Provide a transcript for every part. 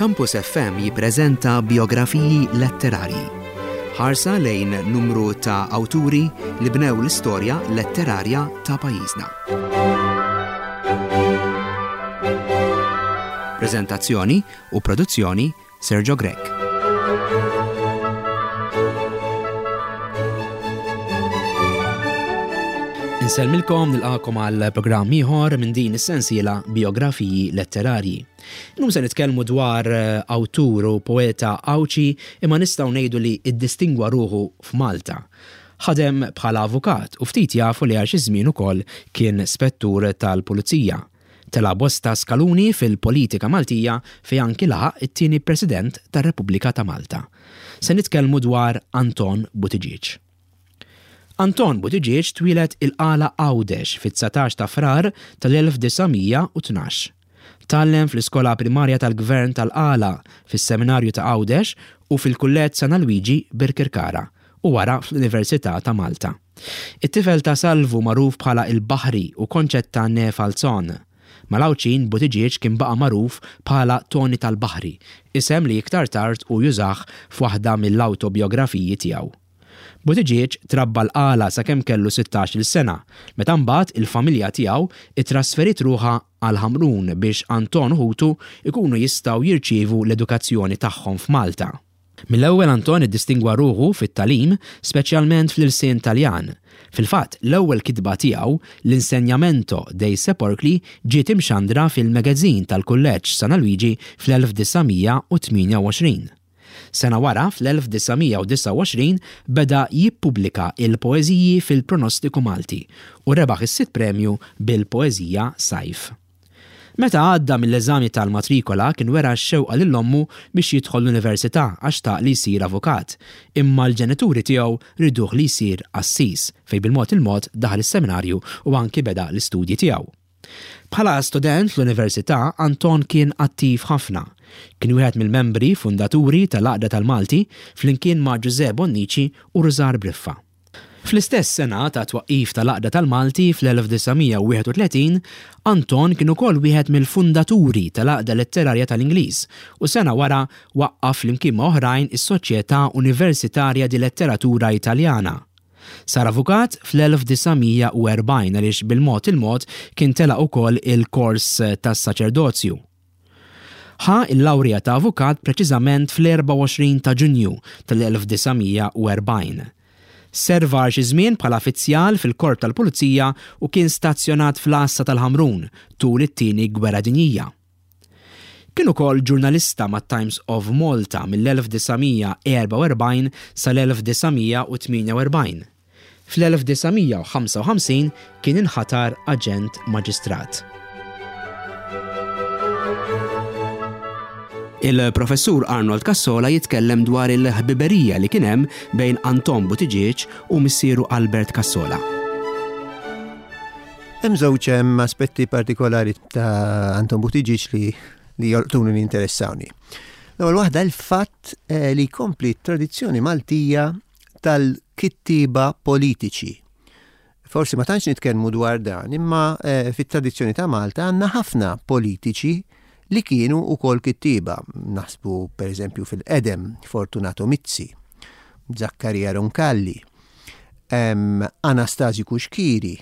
Campus FM jippreżenta biografiji letterarji. Ħarsa lejn numru ta' awturi li bnew l-istorja letterarja ta' pajjiżna. Preżentazzjoni u produzzjoni Sergio Grech. Insellmilkom nilqakom għal programm ieħor minn din is-sensiela Biografiji Letterarji. Illum se nitkellmu dwar eh, awtur u poeta Għawdxi imma nistgħu ngħidu li iddistingwa ruħu f'Malta. Ħadem bħala avukat u ftit jafu li għal xi żmien ukoll kien spettur tal-pulizija. Tela' bosta skaluni fil-politika Maltija fejn anki laħaq it-tieni President tar-Repubblika ta' Malta. Se nitkellmu dwar Anton Buttigieg. Anton Buttigieg twieled il-Qala Għawdex fit-19 ta' Frar tal-1912. Tgħallem fl-iskola primarja tal-Gvern tal-Qala, fis-Seminarju ta' Għawdex u fil-Kulleġġ San Alwiġi Birkirkara u wara fl-Università ta' Malta. It-tifel ta' Salvu magħruf bħala il-Baħri u Concetta née Falzon. Mal-Għawdxin Buttigieg kien baqa' magħruf bħala Toni tal-Baħri, isem li iktar tard hu jużah f'waħda mill-awtobijografiji tiegħu. Buttigieg trabba l-Qala sakemm kellu sittax-il sena, meta mbagħad il-familja tiegħu ttrasferiet ruħha għal Ħamrun biex Anton u ħutu jkunu jistgħu jirċievu l-edukazzjoni tagħhom f'Malta. Mill-ewwel Anton iddistingwa ruħu fit-tagħlim, speċjalment fl-ilsien Taljan. Fil-fatt, l-ewwel kitba tiegħu, L'insegnamento dei sepolcri ġiet imxandra fil-magazine tal-Kulleġġ San Alwiġi fl-1928. Sena wara, fl-1929, beda jippubblika il-poeżiji fil-Pronostiku Malti u rebaħ is-sitt premju bil-poeżija Sajf. Meta għadda mill-eżami tal-matrikola kien wera x-xewqa lil ommu biex jidħol l-università għax xtaq li jsir avukat, imma l-ġenituri tiegħu riduh li jsir qassis fejn bil-mod il-mod daħal is-seminarju u anki beda l-istudji tiegħu. Bħala student fl-università Anton kien attiv ħafna. Kien wieħed mill-membri fundaturi tal-Għaqda tal-Malti flimkien ma' Ġużè Bonnici u Rużar Briffa. Fl-istess sena tat-twaqqif tal-Għaqda tal-Malti fl-1931, Anton kien ukoll wieħed mill-fundaturi tal-Għaqda Letterarja tal-Ingliż u sena wara waqqaf flimkien ma' oħrajn is-Soċjetà Universitarja di Letteratura Italiana. Sar avukat fl-1940 għaliex bil-mod il-mod kien telaq ukoll il-kors tas-saċerdozju. Ħa l-lawrja ta' avukat preċiżament fl-24 ta' Ġunju tal-1940. Serva għal xi żmien bħala fizzjal fil-Korp tal-Pulizija u kien stazzjonat fl-Għassa tal-Ħamrun tul it-Tieni Gwerra Dinjija. Kien ukoll ġurnalista mat-Times of Malta mill-1944 sal-1948. Fl-1955 kien inħatar aġent maġistrat. Il-Professur Arnold Cassola jitkellem dwar il-ħbiberija li kien hemm bejn Anton Buttigieg u missieru Albert Cassola. Hemm żewġ hemm aspetti partikolari ta' Anton Buttigieg li li jolqtuni li jinteressawni. L-ewwel waħda l-fatt eh, li jkompli t-tradizzjoni Maltija tal-kittieba politiċi. Forsi ma tantx nitkellmu dwar dan, imma eh, fit-tradizzjoni ta' Malta għandna ħafna politiċi li kienu wkoll kittieba. Naħsbu pereżempju fil-qedem Fortunato Mizzi, Zaccaria Roncalli, Anastasio Cuschieri,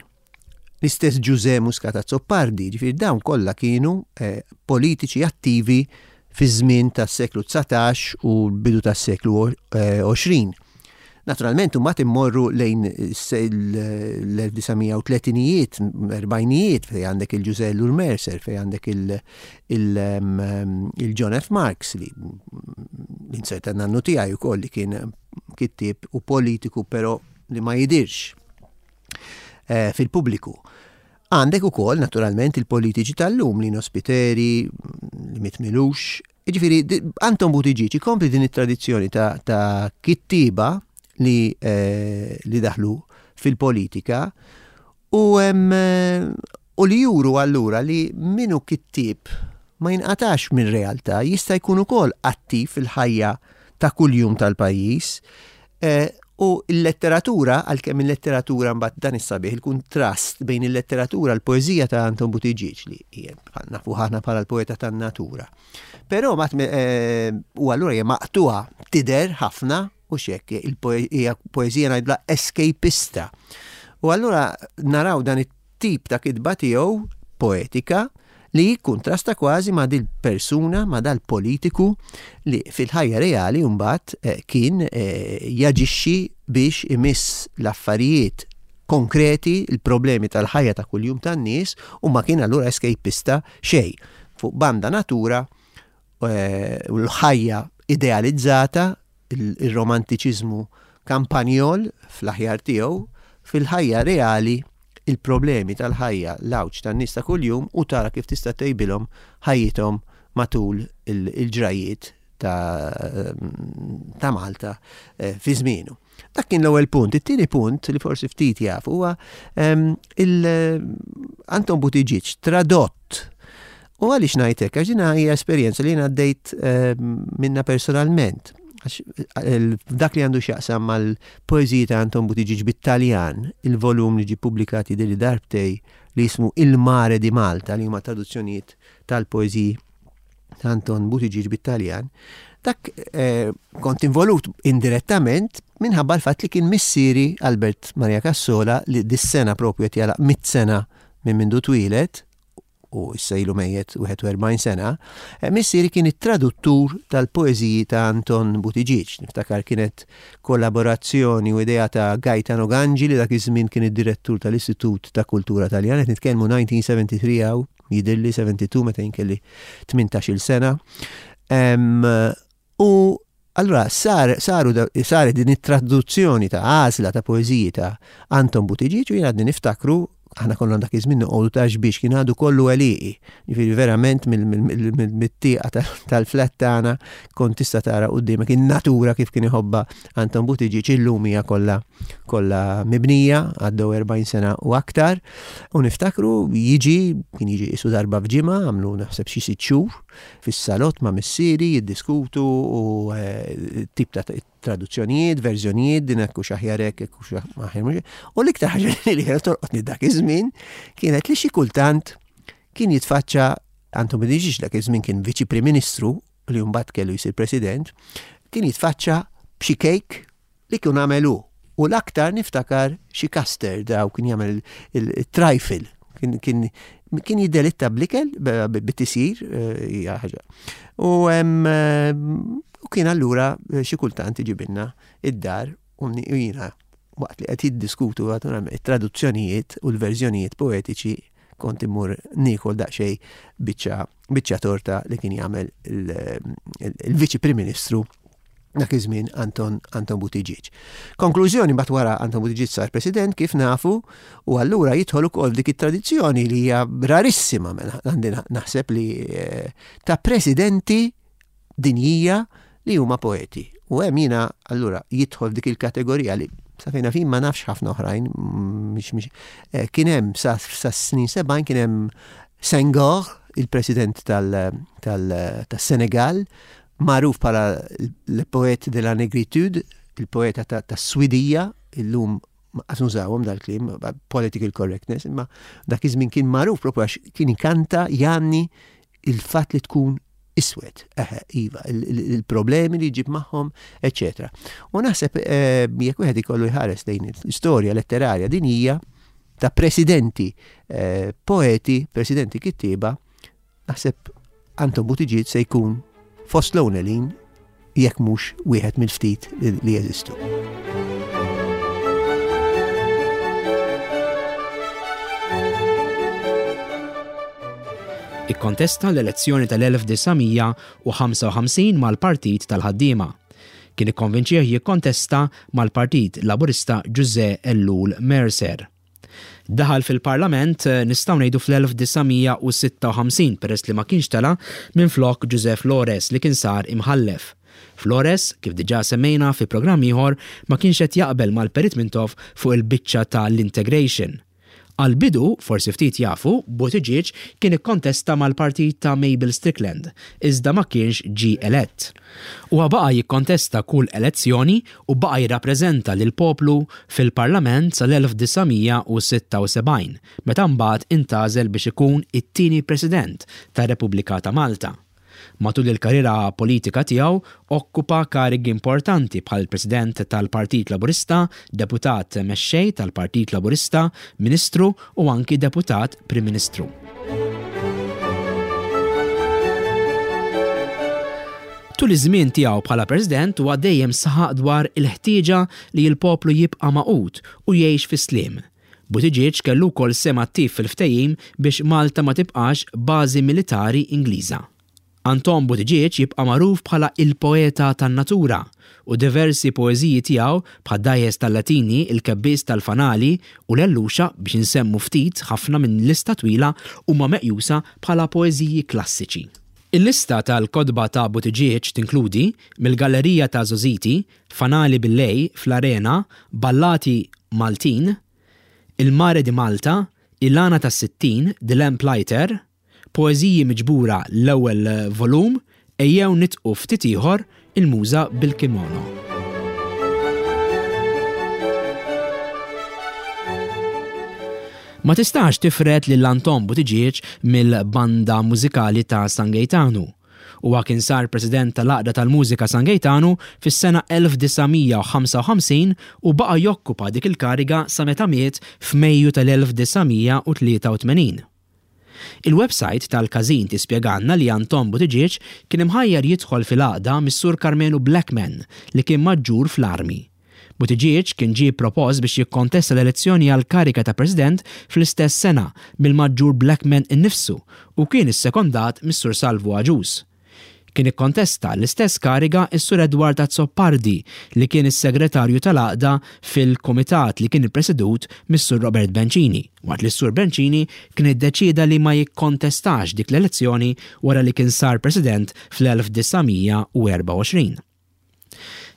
L-istess Ġużè Muscat Azzopardi, ġifieri dawn kollha kienu eh, politiċi attivi fiż-żmien tas-seklu 19 u l-bidu tas-seklu 20. Eh, Naturalment, mbagħad immorru lejn l-1930ijiet, 40ijiet, fej għandek il-Ġużè Ellul Mercer, fej għandek il-John F. Marks, li l-inserta nannu tiegħi wkoll li kien kittieb u politiku, però li ma jidirx. Eh, fil-pubbliku. Għandek ukoll naturalment il-politiċi tal-lum li Spiteri, li mitmilux. Ġifieri Anton Buttigieg ikompli din it-tradizzjoni ta', ta kittiba li, eh, li daħlu fil-politika u, eh, u li juru allura li minu kittib ma jinqatax minn realtà, jista' jkun ukoll attiv fil-ħajja ta' kuljum tal-pajjiż. Eh, U l-letteratura, għalkemm il-letteratura mbagħad dan is-sabiħ, il-kuntrast bejn il-letteratura, l-poeżija ta' Anton Buttigieg li hija nafu ħafna bħala l-poeta tan-natura. Però mbagħad eh, u allura hija maqtuha tidher ħafna u xekk hija poeżija ngħidla escapista. U allura naraw dan it-tip ta' kitba tiegħu poetika li jikkuntrasta kważi ma' dil-persuna, ma' dal-politiku li fil-ħajja reali mbagħad eh, kien eh, jaġixxi biex imiss l-affarijiet konkreti, il-problemi tal-ħajja ta' kuljum tan-nies u ma kien allura escapista xejn. Fuq banda natura eh, u l-ħajja idealizzata, il-romantiċiżmu kampanjol fl-aħjar tiegħu, fil-ħajja reali il-problemi tal-ħajja, l-għawġ tan-nies ta' kuljum u tara kif tista' ttejbilhom ħajjithom matul il-ġrajjiet ta' Malta eh, fi żmienu. Dak kien l-ewwel punt. It-tieni punt li forsi ftit jaf huwa ehm, il eh, Anton Buttigieg tradott U għaliex ngħid hekk? Għax din hija esperjenza li jien għaddejt ehm, minna personalment. Għax dak li għandu x'jaqsam mal-poeżiji ta' Anton Buttigieg bit-Taljan, il-volum li ġie ppubblikat jidhirli darbtej li jismu Il Mare di Malta li huma traduzzjonijiet tal-poeżiji ta' Anton Buttigieg bit-Taljan, dak eh, kont involut indirettament minħabba l-fatt li kien missieri Albert Maria Cassola li dis-sena propju qed jagħlaq mit-sena minn mindu twieled u issa ilu mejjet 41 sena, eh, missieri kien it-traduttur tal-poeżiji ta' Anton Buttigieg. Niftakar kienet kollaborazzjoni u idea ta' Gaetano Gangi li dak iż-żmien kien id-direttur tal-Istitut ta' Kultura Taljana, qed nitkellmu 1973 hawn, jidhirli 72 meta jien kelli 18-il sena. U allura sar, saru, saret din it-traduzzjoni ta' għażla ta' poeżiji ta' Anton Buttigieg u jien għadni niftakru aħna konna dak iż-żmien noqogħdu ta' xbiex kien għadu kollu għelieqi. Ġifieri verament mit-tieqa tal-flat tagħna kont tista' tara quddiemek in-natura kif kien iħobbha Anton Buttigieg illum hija kollha kollha mibnija għaddew 40 sena u aktar. U niftakru jiġi kien jiġi qisu darba f'ġimgħa għamlu naħseb xi sitt xhur fis-salott ma' missieri jiddiskutu u eh, tip ta' traduzzjonijiet, verżjonijiet, din hekk hux aħjar hekk, hekk hux aħjar mhux. U l-iktar ħaġa li kienet tolqotni dak iż-żmien kienet li xi kultant kien jitfaċċa Anton Buttigieg dak iż-żmien kien viċi Prim Ministru li mbagħad kellu jsir President, kien jitfaċċa b'xi kejk li kien għamel hu. U l-aktar niftakar xi custard daw kien jagħmel il-trifle. Kien kien kien jiddelitta bl-ikel bit-tisjir eh, hija ħaġa. U eh, u kien allura eh, xi kultant iġibilna id-dar u jiena waqt li qed jiddiskutu it-traduzzjonijiet u l-verżjonijiet poetiċi kont immur niekol daqsxejn biċċa biċċa torta li kien jagħmel il-Viċi Prim Ministru dak iż-żmien Anton Anton Buttigieg. Konklużjoni mbagħad wara Anton Buttigieg sar President kif nafu u allura jidħol ukoll dik it-tradizzjoni li hija rarissima mela għandi naħseb li eh, ta' presidenti dinjija li huma poeti. U hemm jiena allura jidħol dik il-kategorija li sa fejna fin ma nafx ħafna oħrajn, mhix mhix eh, kien hemm sa snin 70 kien hemm Senghor, il-president tal-Senegal, magħruf bħala l-poet de la negritude, il-poeta tas-Swidija, illum qas nużawhom dal-kliem, political correctness, imma dak iż-żmien kien magħruf propju għax kien ikanta jgħanni il-fatt li tkun iswed, eħe, iva, il-problemi li jġib magħhom, eċetera. U naħseb eh, jekk wieħed ikollu jħares lejn l-istorja letterarja din hija ta' presidenti eh, poeti, presidenti kittieba, Naħseb Anton Buttigieg se jkun fost l-ewwelin jekk mhux wieħed mill-ftit li jeżistu. Ikkontesta l-elezzjoni tal-1955 mal-Partit tal-Ħaddiema. Kien ikkonvinċih jikkontesta mal-Partit Laburista Ġużè Ellul Mercer. Daħal fil-Parlament nistgħu ngħidu fl-1956 peress li ma kienx tela' minflok Ġużè Flores li kien sar Imħallef. Flores, kif diġà semmejna fi programm ieħor, ma kienx qed jaqbel mal-Perit Mintoff fuq il-biċċa ta' l-integration. Għall-bidu, forsi ftit jafu, Buttigieg kien ikkontesta mal-partit ta' Mabel Strickland, iżda ma kienx ġie elett. Huwa baqa' jikkontesta kull elezzjoni u baqa' jirrappreżenta lill-poplu fil-Parlament sal-1976, meta mbagħad intgħażel biex ikun it-tieni President tar-Repubblika ta' Malta. Matul il-karriera politika tiegħu okkupa karigi importanti bħal President tal-Partit Laburista, Deputat Mexxej tal-Partit Laburista, Ministru u anki Deputat Prim Ministru. Tul iż-żmien tiegħu bħala President huwa dejjem saħaq dwar il-ħtieġa li l-poplu jibqa' magħqud u jgħix fis-sliem. Buttigieg kellu wkoll sehem attiv fil-ftehim biex Malta ma tibqax bażi militari Ingliża. Anton Buttigieg jibqa' magħruf bħala il-poeta tan-natura u diversi poeżiji tiegħu bħad-Dgħajjes tal-Latini, Il-Kebbies tal-Fanali u L-Għelluxa biex insemmu ftit ħafna minn lista twila huma meqjusa bħala poeżiji klassiċi. Il-lista tal-kotba ta' Buttigieg tinkludi, Mill-Gallerija ta' Żgħożiti, Fanali bil-Lej, Fl-Arena, Ballati Maltin, Il Mare di Malta, Il-Għana tas-60, The Lamplighter, Poeżiji Miġbura l-ewwel volum, Ejjew Nidqu Ftit Ieħor, Il-Muża bil-Kimono. Ma tistax tifred lil Anton Buttigieg mill-banda mużikali ta' San Gejtanu. Huwa kien sar President tal-Għaqda tal-Mużika San Gejtanu fis-sena 1955 u baqa' jokkupa dik il-kariga sa meta miet f'Mejju tal-1983. Il-websajt tal-każin tispjegalna li Anton Buttigieg kien imħajjar jidħol fil-għaqda mis-Sur Karmenu Blackman li kien maġġur fl-armi. Buttigieg kien ġie propost biex jikkontesta l-elezzjoni għall-kariga ta' President fl-istess sena mill-Maġġur Blackman innifsu u kien issekondat mis-Sur Salvu Agius. Kien ikkontesta l-istess kariga s-Sur Edward Azzopardi li kien is-Segretarju tal-Għaqda fil-Kumitat li kien ippresedut mis-Sur Robert Bencini, waqt li s-Sur Bencini kien iddeċieda li ma jikkontestax dik l-elezzjoni wara li kien sar President fl-1924.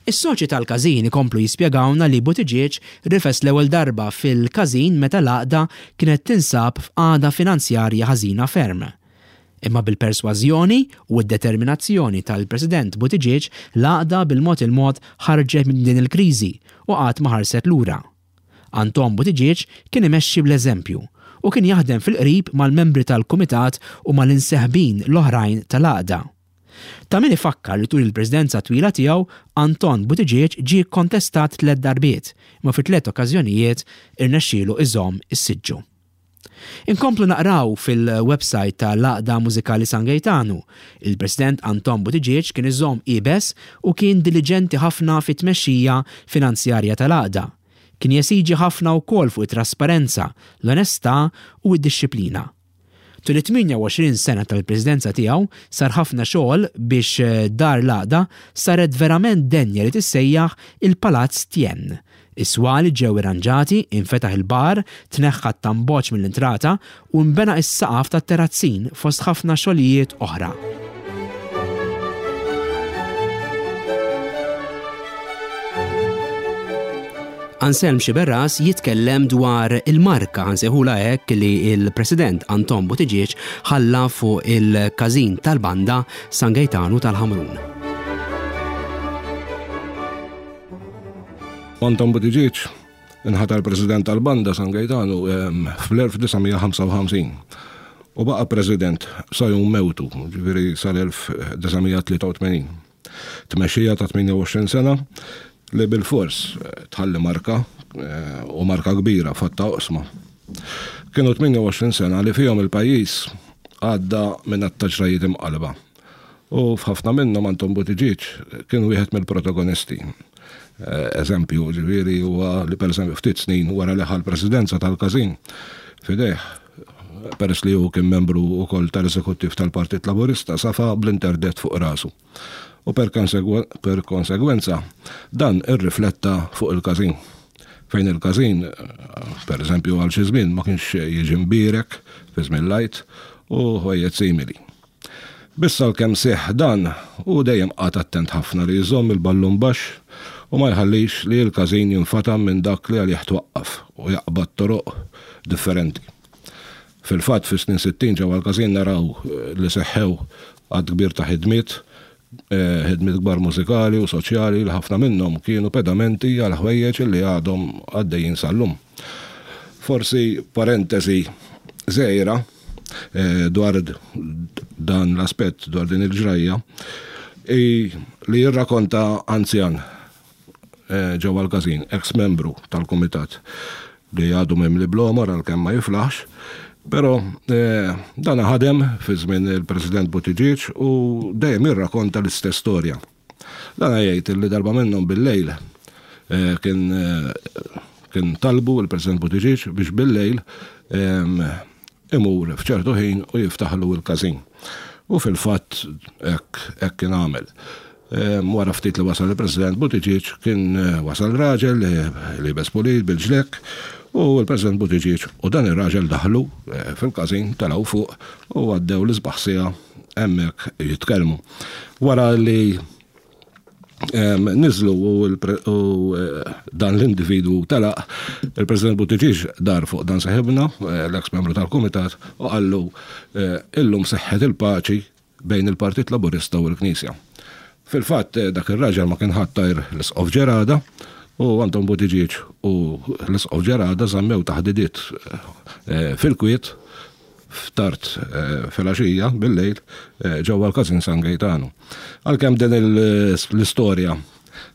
Is-soċji tal-każin ikomplu jispjegawlna li Buttigieg rifes l-ewwel darba fil-każin meta l-għaqda kienet tinsab f'qagħda finanzjarja ħażina ferm. Imma bil-persważjoni u d-determinazzjoni tal-President Buttigieg l-għaqda bil-mod il-mod ħarġet minn din il-kriżi u qatt ma ħarset lura. Anton Buttigieg kien imexxi bl-eżempju u kien jaħdem fil-qrib mal-membri tal-kumitat u mal-imseħbin l-oħrajn tal-għaqda. Ta' min ifakkar li tul il-Presidenza twila tiegħu, Anton Buttigieg ġie kkontestat tlett darbiet, imma fi tlett okkażjonijiet irnexxielu iżomm is-siġġu. Inkomplu naqraw fil-websajt ta' l-Għaqda Mużikali San Gejtanu, Il-President Anton Buttigieg kien iżomm iebes u kien diliġenti ħafna fit-tmexxija finanzjarja tal-Għaqda. Kien jesiġi ħafna wkoll fuq it-trasparenza, l-onestà u d-dixxiplina. Tul it-28 sena tal-Presidenza tiegħu sar ħafna xogħol biex Dar l-Għaqda saret verament denja li tissejjaħ il-Palazz Tien. Is-swali ġew irranġati, infetaħ il-bar, tneħħa t-tamboċ mill-intrata u nbena s-saqaf tat-terazzin fost ħafna xogħlijiet oħra. Anselm Sciberras jitkellem dwar il-marka, nsejħulha hekk, li l-President Anton Buttigieg ħalla fuq il-każin tal-banda San Gejtanu tal-Ħamrun. Anton Buttigieg inħatar President tal-banda San Gejtanu ehm, fl-1955 u baqa' President sa jum mewtu, ġifieri sal-1983. Tmexxija ta' 28 sena li bilfors tħalli marka u marka kbira f'għadd ta' oqsma. Kienu 28 sena li fihom il-pajjiż għadda minn għadd ta' ġrajjiet imqallba u f'ħafna minnhom Anton Buttigieg kien wieħed mill-protagonisti. Eżempju, ġifieri, huwa li pereżempju ftit snin wara li ħa l-presidenza tal-każin f'idejh, peress li hu kien membru wkoll tal-eżekuttiv tal-Partit Laburista, safa bl-interdett fuq rasu. U per konsegwenza, dan irrifletta fuq il-każin. Fejn il-każin, per eżempju, għal xi żmien ma kienx jiġi mbierek fi żmien l-Għid u ħwejjeġ simili. Biss għalkemm seħħ dan, hu dejjem qagħad attent ħafna li jżomm il-ballun baxx u ma jħallix li l-każin jinfatam minn dak li għalih twaqqaf u jaqbad toroq differenti. Fil-fatt fis-snin 60 ġewwa l-każin naraw li seħħew għadd kbir ta' ħidmiet, ħidmiet kbar mużikali u soċjali li ħafna minnhom kienu pedamenti għal ħwejjeġ li għadhom għaddejjin sal-lum. Forsi parentesi żgħira dwar dan l-aspett, dwar din il-ġrajja, hi li jirrakonta anzjan ġewwa l-każin, eks membru tal-kumitat li għadu mimli bl-għomor għalkemm ma jiflaħx, però dan ħadem fi żmien il-President Buttigieg u dejjem jirrakonta l-istess storja. Dan jgħid li darba minnhom bil-lejl kien kien talbu l-President Buttigieg biex bil-lejl imur f'ċertu ħin u jiftaħlu l-każin. U fil-fatt hekk kien għamel. Wara ftit li wasal il-President Buttigieg kien wasal raġel liebes pulit bil-ġlekk u l-President Buttigieg u dan ir-raġel daħlu fil-każin telgħu fuq u għaddew l-isbaħ siegħa hemmhekk jitkellmu. Wara li niżlu u dan l-individwu telaq, il-President Buttigieg dar fuq dan seħibna, l-eks membru tal-Kumitat, u qallu illum seħħet il-paċi bejn il-Partit Laburista u l-Knisja. Fil-fatt, dak ir-raġel ma kien ħadd għajr l-Isqof Gerada u Anton Buttigieg u l-Isqof Gerada żammew taħdidiet fil-kwiet f'tard filgħaxija bil-lejl ġewwa l-Każin San Gejtanu. Għalkemm din l-istorja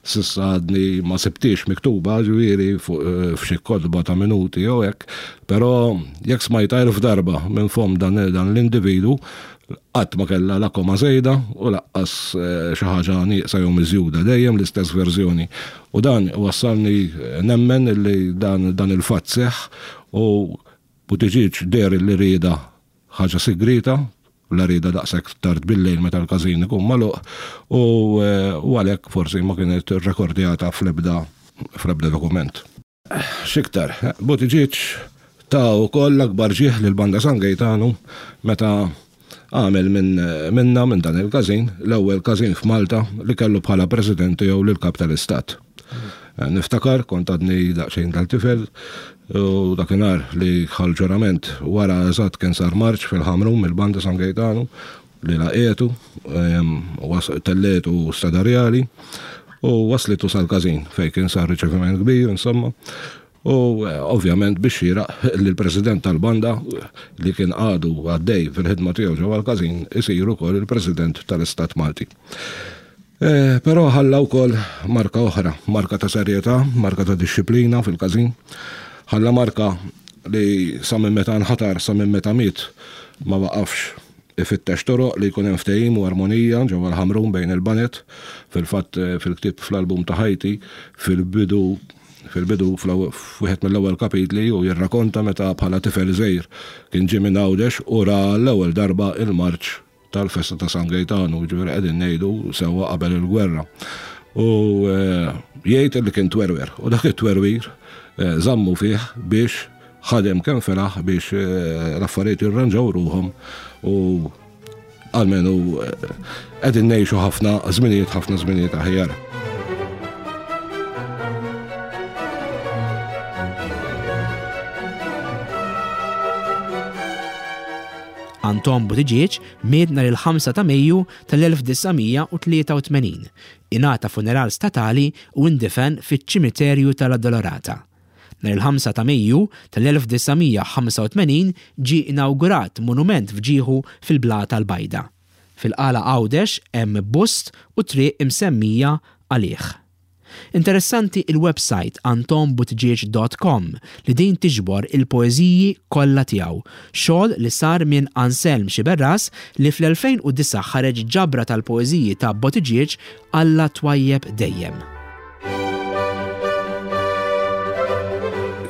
S'issa għadni ma sibtiex miktuba, ġifieri f'xi kotba ta' minuti jew hekk, però jekk smajtha elf darba minn fomm dan l-individwu, qatt ma kellha la koma żejda u laqqas xi ħaġa nieqsa jew miżjuda, dejjem l-istess verżjoni. U dan iwassalni nemmen li dan il-fatt seħħ u Buttigieg deher li riedha Ħaġa sigrieta, la riedha daqshekk tard bil-lejl meta l-każin ikun magħluq u għalhekk forsi ma kienet irrekordjata fl-ebda fl-ebda dokument. X'iktar, Buttigieg ta wkoll l-akbar ġieħ lill-Banda San Gejtanu meta għamel minn minnha, minn dan il-każin, l-ewwel każin f'Malta li kellu bħala President tiegħu lill-Kap tal-Istat. Niftakar, kont għadni daqsxejn tal-tifel, u dakinhar li ħa l-ġurament wara eżatt kien sar marċ fil-Ħamrun mill-Banda San Gejtanu li laqgħetu, telletu Strada Rjali u waslitu sal-każin fejn kien sar riċeviment kbir, insomma. U ovvjament bix-xieraq li l-President tal-banda li kien għadu għaddej fil-ħidma tiegħu ġewwa l-każin isir ukoll il-President tal-Istat Malti. Però ħalla wkoll marka oħra, marka ta' serjetà, marka ta' dixxiplina fil-każin. Ħalla marka li sa minn meta nħatar sa minn meta miet ma waqafx ifittex toroq li jkun hemm ftehim u armonija ġewwa l-Ħamrun bejn il-baned. Fil-fatt fil-ktieb fl-album ta' ħajti fil-bidu Fil-bidu, f'wieħed mill-ewwel kapitli, hu jirrakonta meta bħala tifel żgħir kien ġie minn Għawdex u ra għall-ewwel darba il-marċ tal-festa ta' San Gejtanu, jiġifieri qegħdin ngħidu sewwa qabel il-gwerra. U jgħid li kien twerwer u dak it-twerwir żammu fih biex ħadem kemm felaħ biex l-affarijiet jirranġaw ruħhom u Almenu qegħdin ngħixu ħafna żminijiet ħafna żminijiet aħjar. Anton Buttigieg miet nhar il-5 ta' Mejju tal-1983. Ingħata funeral statali u indifen fiċ-ċimiterju tal-Addolorata. Nhar il-5 ta' Mejju tal-1985 ġie inawgurat monument f'ġieħu fil-Blata l-Bajda. Fil-Qala Għawdex hemm bust u triq imsemmija għalih. Interessanti il-websajt antonbuttigieg dot com li din tiġbor il-poeżiji kollha tiegħu, xogħol li sar minn Anselm Sciberras li fl-2009 ħareġ ġabra tal-poeżiji ta' Buttigieg Alla twajjeb dejjem.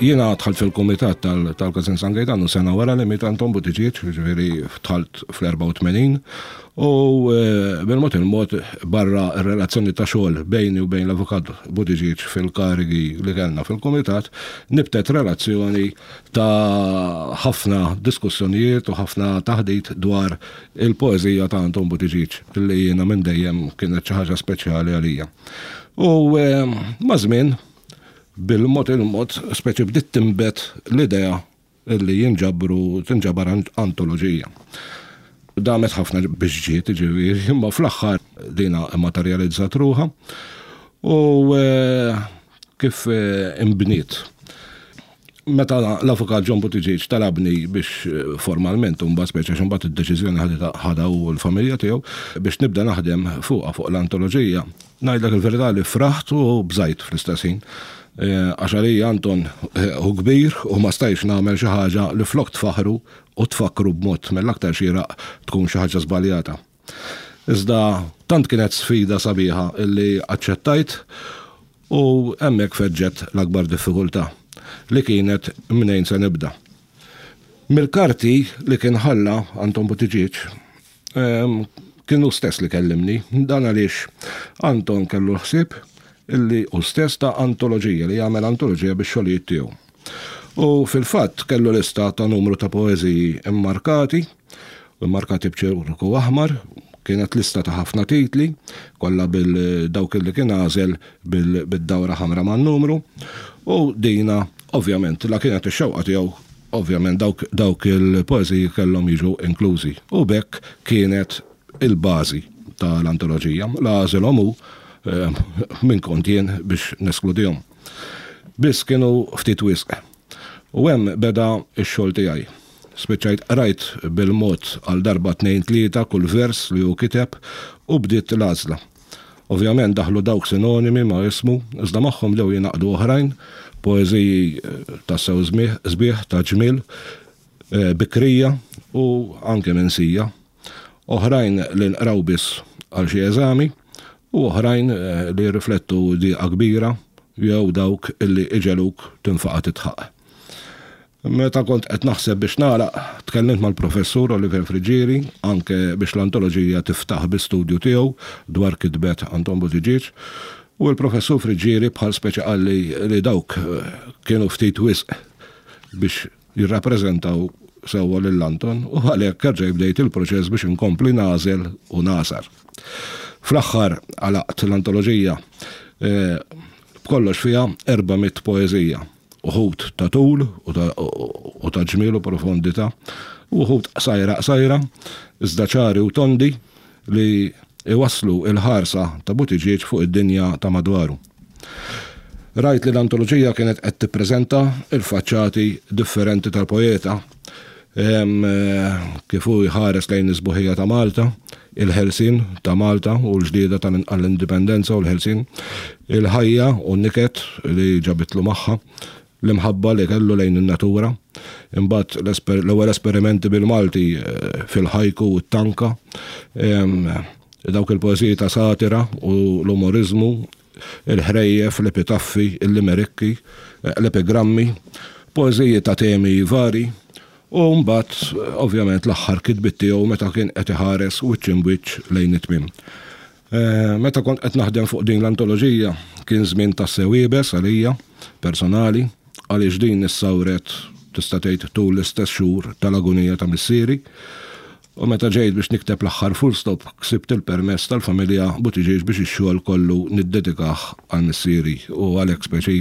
Jiena dħalt fil-kumitat tal-Każin San Gejtanu sena wara li miet Anton Buttigieg, jiġifieri dħalt fl-84, u bil-mod il-mod barra r-relazzjoni ta' xogħol bejni u bejn l-Avukat Buttigieg fil-karigi li kellna fil-kumitat, nibtet relazzjoni ta' ħafna diskussjonijiet u ħafna taħdit dwar il-poeżija ta' Anton Buttigieg li jiena minn dejjem kienet xi ħaġa speċjali għalija. U maż-żmien, bil-mod il-mod, speċi bdiet tinbet l-idea li jinġabru, tinġabar antoloġija. Damet ħafna biex ġiet, jiġifieri, imma fl-aħħar dina immaterjalizzat ruħha u kif inbniet. Meta l-Avukat John Buttigieg talabni biex formalment imbagħad speċi għax imbagħad id-deċiżjoni ħaditha ħadha hu u l-familja tiegħu biex nibda naħdem fuqha fuq l-antoloġija, ngħidlek il-verità li fraħt u bżajt fl-istess ħin. Għax għalija Anton hu kbir u ma stajtx nagħmel xi ħaġa li flok tfaħħru u tfakkru b'mod mill-aktar xieraq tkun xi ħaġa żbaljata. Iżda tant kienet sfida sabiħa illi aċċettajt u hemmhekk feġġet l-akbar diffikultà, li kienet mnejn se nibda. Mill-karti li kien ħalla Anton Buttigieg, kien hu stess li kellimni, dan għaliex Anton kellu l-ħsieb illi hu stess ta' antoloġija, li jagħmel antoloġija bix-xogħlijiet tiegħu. U fil-fatt kellu lista ta' numru ta' poeżiji mmarkati, immarkati b'ċirku aħmar, kienet lista ta' ħafna titli, kollha bil dawk li kien għażel bid-dawra ħamra man-numru, u dina ovvjament la kienet ix-xewqa tiegħu, ovvjament dawk dawk il-poeżiji kellhom jiġu inklużi. U b'hekk kienet il-bażi tal-antoloġija. La għażilhom hu, min kont jien biex neskludihom. Biss kienu ftit wisq. U hemm beda x-xogħol tiegħi. Spiċċajt qrajt bil-mod għal darba tnejn tlieta kull vers li hu kiteb u bdiet l-għażla. Ovvjament daħlu dawk sinonimi ma' ismu, iżda magħhom bdew jingħaqdu oħrajn, poeżiji tassew sbieħ, ta' ġmiel, bikrija u anke minsija. Oħrajn li nqraw biss għal xi eżami u oħrajn li jirriflettu dieqa kbira jew dawk li iġegħluk tinfaqa' tidħaq. Meta kont qed naħseb biex nagħlaq, tkellimt mal-Professur Oliver Friggieri anke biex l-antoloġija tiftaħ bi studju tiegħu dwar kitbet Anton Buttigieg u l-Professur Friggieri bħal speċi qalli li dawk kienu ftit wisq biex jirrappreżentaw sewwa lil Anton u għalhekk erġajt bdejt il-proċess biex inkompli nagħżel u nagħsar. Fl-aħħar għalaqt l-antoloġija b'kollox fiha 400 poeżija, uħud ta' tul u ta' ġmiel u profondità, u uħud qsajra qsajra, iżda ċari u tondi li jwasslu l-ħarsa ta' Buttigieg fuq id-dinja ta' madwaru. Rajt li l-antoloġija kienet qed tippreżenta l-faċċati differenti tal-poeta, kif hu jħares lejn is-sbuħija ta' Malta, il-ħelsien ta' Malta u l-ġlieda għall-indipendenza u l-ħelsien, il-ħajja u n-niket li ġabitlu magħha, l-imħabba li kellu lejn in-natura, imbagħad l-ewwel esperimenti bil-Malti fil-ħajku u t-tanka, dawk il-poeżiji ta' satira u l-umoriżmu, il-ħrejjef, l-epitaffi, il-limerikki, l-epigrammi, poeżiji ta' temi vari, u mbagħad ovvjament l-aħħar kitbiet tiegħu meta kien qed iħares wiċċ imbwiċċ lejn it-tmiem. Meta kont qed naħdem fuq din l-antoloġija kien żmien tassew iebes għalija personali għaliex din issawret tista' tgħid tul l-istess xhur tal-agunija ta' missieri u meta ġejt biex nikteb l-aħħar full stop ksibt il-permess tal-familja Buttigieg biex ix-xogħol kollu niddedikah għal missieri u għalhekk speċi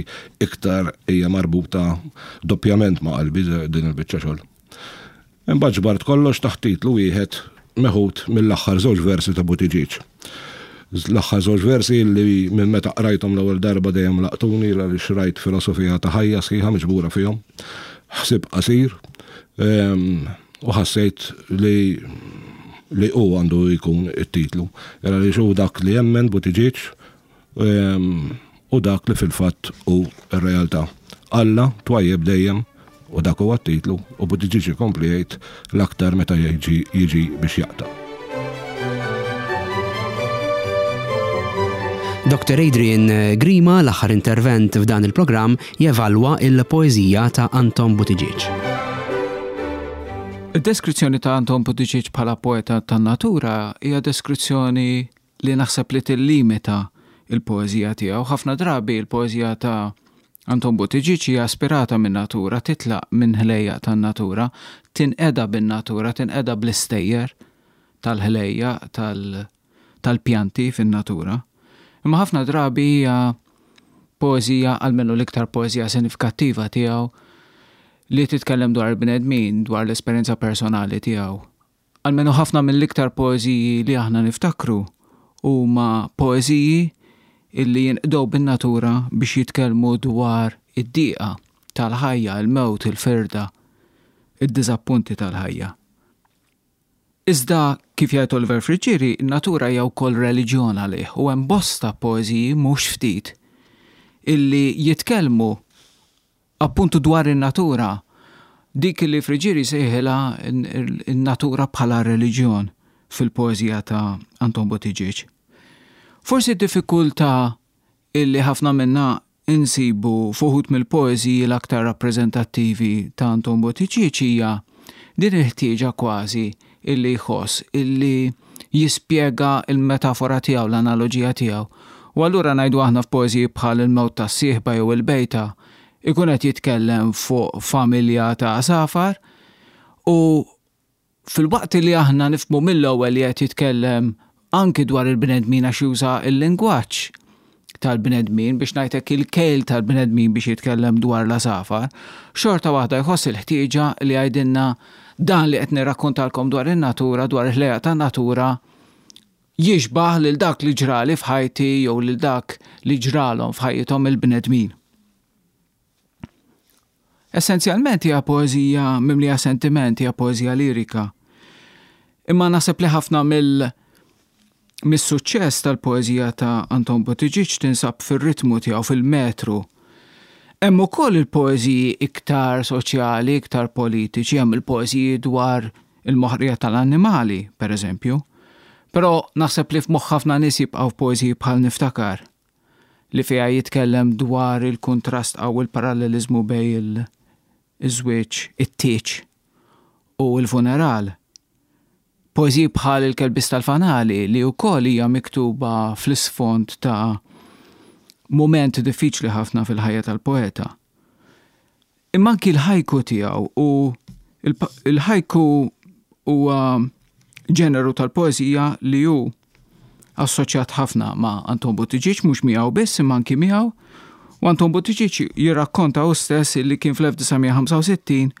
iktar hija marbuta doppjament ma' qalbi din il-biċċa xogħol. Imbagħad ġbart kollox taħt titlu wieħed meħud mill-aħħar żewġ versi ta' Buttigieg. L-aħħar żewġ versi li minn meta qrajthom l-ewwel darba dejjem laqtuni għaliex rajt filosofija ta' ħajja sħiħa miġbura fihom. Ħsieb qasir u ħassejt li li hu għandu jkun it-titlu. Għaliex hu dak li jemmen Buttigieg u dak li fil-fatt hu r-realtà. Alla twajjeb dejjem u dak huwa t-titlu u Buttigieg ikompli jgħid l-aktar meta jiġi jiġi biex jaqta'. Dr. Adrian Grima, l-aħħar intervent f'dan il-programm, jevalwa il-poeżija ta' Anton Buttigieg. Id-deskrizzjoni ta' Anton Buttigieg bħala poeta tan-natura hija deskrizzjoni li naħseb li tillimita l-poeżija tiegħu. Ħafna drabi l-poeżija ta' Anton Buttigieg hija ispirata min-natura, titlaq minn ħlejjaq tan-natura, tinqeda bin-natura, tinqeda bl-istejjer tal-ħlejjaq tal-pjanti fin-natura. Imma ħafna drabi hija poeżija, almenu l-iktar poeżija sinifikattiva tiegħu, li titkellem dwar il-bnedmin, dwar l-esperjenza personali tiegħu. Almenu ħafna mill-iktar poeżiji li aħna niftakru huma poeżiji illi jinqdew bin-natura biex jitkellmu dwar id-dieqa tal-ħajja, il-mewt, il-firda, id-diżappunti tal-ħajja. Iżda, kif jgħid Oliver Friggieri, in-natura hija wkoll reliġjon għalih u hemm bosta poeżiji, mhux ftit, illi jitkellmu Appuntu dwar in-natura, dik li Friggieri jsejħilha n-natura bħala reliġjon fil-poeżija ta' Anton Buttigieg. Forsi d-diffikultà illi ħafna minna insibu f'uħud mill-poeżiji l-aktar rappreżentattivi ta' Anton Buttigieg hija din il-ħtieġa kważi illi jħoss illi jispjega l-metafora tiegħu, l-analoġija tiegħu. U allura ngħidu aħna f'poeżiji bħal Il-Mewt tas-Sieħba jew Il-Bejta, ikun qed jitkellem fuq familja ta' għasafar u filwaqt li aħna nifhmu mill-ewwel li qed jitkellem anki dwar il-bnedmin għax juża l-lingwaġġ tal-bnedmin biex ngħid hekk il-kejl tal-bnedmin biex jitkellem dwar l-għasafar, xorta waħda jħoss il-ħtieġa li jgħidilna dan li qed nirrakkontalkom dwar in-natura, dwar il-ħlejjaq tan-natura, jixbah lil dak li ġrali f'ħajti jew lil dak li ġralhom f'ħajjithom il-bnedmin. Essenzjalment hija poeżija mimlija sentiment, hija poeżija lirika. Imma naħseb li ħafna mill mis-suċċess tal-poeżija ta' Anton Buttigieg tinsab fir-ritmu tiegħu, fil-metru. Hemm ukoll il-poeżiji iktar soċjali, iktar politiċi, hemm il-poeżiji dwar il-moħqrija tal-annimali, pereżempju. Però naħseb li f'moħħ ħafna nies jibqgħu poeżiji bħal Niftakar. li fiha jitkellem dwar il-kuntrast qawwi l-paralleliżmu bejn iż-żwieġ, it-tieġ u l-funeral. Poeżiji bħal Il-Kelbies tal-Fanali li wkoll hija miktuba fl-isfond ta' mument diffiċli ħafna fil-ħajja tal-poeta. Imma anki l-ħajku tiegħu u l-ħajku huwa ġeneru tal-poeżija li hu assoċjat ħafna ma' Anton Buttigieg, mhux miegħu biss imma anki miegħu. U Anton Buttigieg jirrakkonta hu stess li kien fl-1965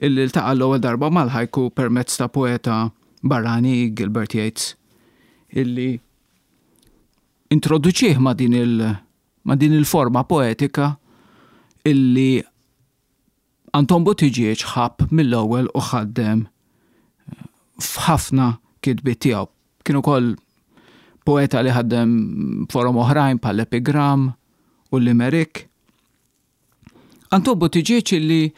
illi ltaqa' l-ewwel darba mal-ħajku permezz ta' poeta barrani Gilbert Yates illi introduċih ma' din il- ma' din il-forma poetika illi Anton Buttigieg ħabb mill-ewwel u ħaddem f'ħafna kitbiet tiegħu. Kien ukoll poeta li ħaddem forom oħrajn bħal epigram u l-limerick. Anton Buttigieg illi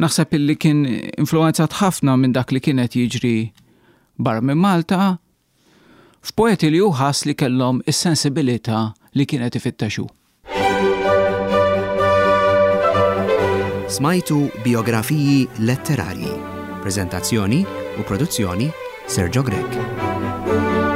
naħseb illi kien influenzat ħafna minn dak li kien qed jiġri barra minn Malta, f'poeti li hu ħass li kellhom is-sensibilità li kien qed ifittex hu. Smajtu Bijografiji Letterarji. Preżentazzjoni u produzzjoni Sergio Grech.